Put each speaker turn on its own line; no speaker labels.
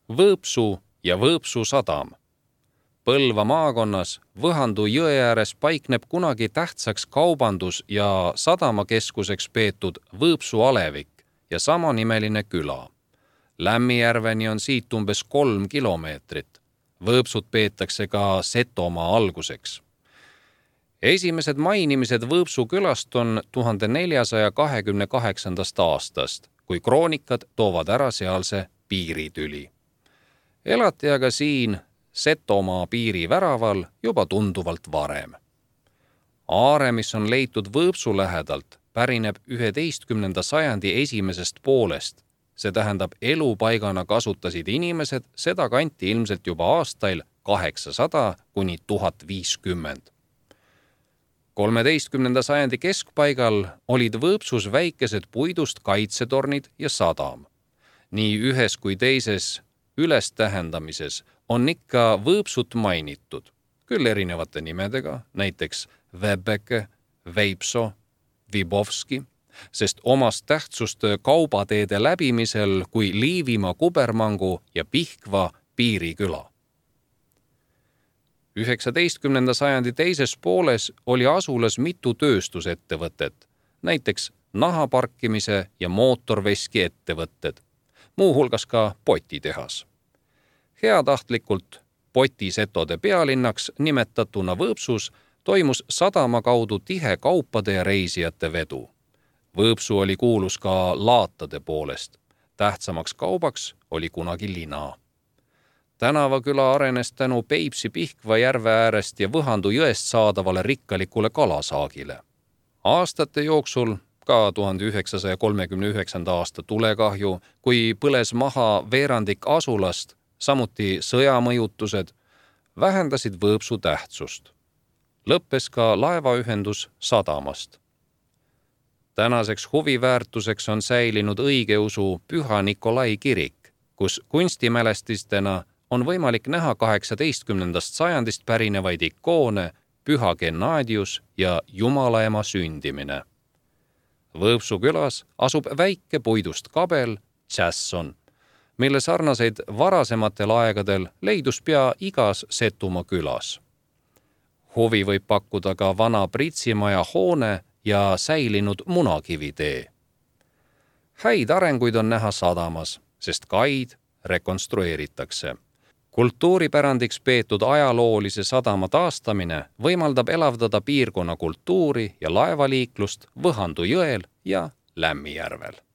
Võõpsu ja Võõpsu sadam. Põlva maakonnas Võhandu jõe ääres paikneb kunagi tähtsaks kaubandus- ja sadamakeskuseks peetud Võõpsu alevik ja samanimeline küla. Lämmijärveni on siit umbes 3 kilomeetrit. Võõpsut peetakse ka Setomaa alguseks. Esimesed mainimised Võõpsu külast on 1428. aastast, kui kroonikad toovad ära sealse piiritüli. Elati aga siin Setomaa piiriväraval juba tunduvalt varem. Aare, mis on leitud Võõpsu lähedalt, pärineb 11. sajandi esimesest poolest. See tähendab, elupaigana kasutasid inimesed seda kanti ilmselt juba aastail 800 kuni 1050. 13. sajandi keskpaigal olid Võõpsus väikesed puidust kaitsetornid ja sadam. Nii ühes kui teises ülestähendamises on ikka Võõpsut mainitud, küll erinevate nimedega, näiteks Väbeke, Veipso, Vibovski, sest omast tähtsust kaubateede läbimisel kui Liivimaa kubermangu ja Pihkva piiriküla. 19. sajandi teises pooles oli asulas mitu tööstusettevõtet, näiteks nahaparkimise ja mootorveski ettevõtted, muuhulgas ka potitehas. Heatahtlikult potisetode pealinnaks nimetatuna Võõpsus toimus sadama kaudu tihe kaupade ja reisijate vedu. Võõpsu oli kuulus ka laatade poolest. Tähtsamaks kaubaks oli kunagi lina. Tänavaküla arenes tänu Peipsi-Pihkva järve äärest ja Võhandu jõest saadavale rikkalikule kalasaagile. Aastate jooksul, ka 1939. aasta tulekahju, kui põles maha veerandik asulast, samuti sõjamõjutused, vähendasid Võõpsu tähtsust. Lõppes ka laevaühendus sadamast. Tänaseks huviväärtuseks on säilinud õigeusu Püha Nikolai kirik, kus kunstimälestistena on võimalik näha 18. sajandist pärinevaid ikoone Püha Gennadius ja Jumalaema sündimine. Võõpsu külas asub väike puidust kabel Tšässon, mille sarnaseid varasematel aegadel leidus pea igas Setumaa külas. Huvi võib pakkuda ka vana Pritsimaja hoone ja säilinud munakivitee. Häid arenguid on näha sadamas, sest kaid rekonstrueeritakse. Kultuuripärandiks peetud ajaloolise sadama taastamine võimaldab elavdada piirkonna kultuuri ja laevaliiklust Võhandu jõel ja Lämmijärvel.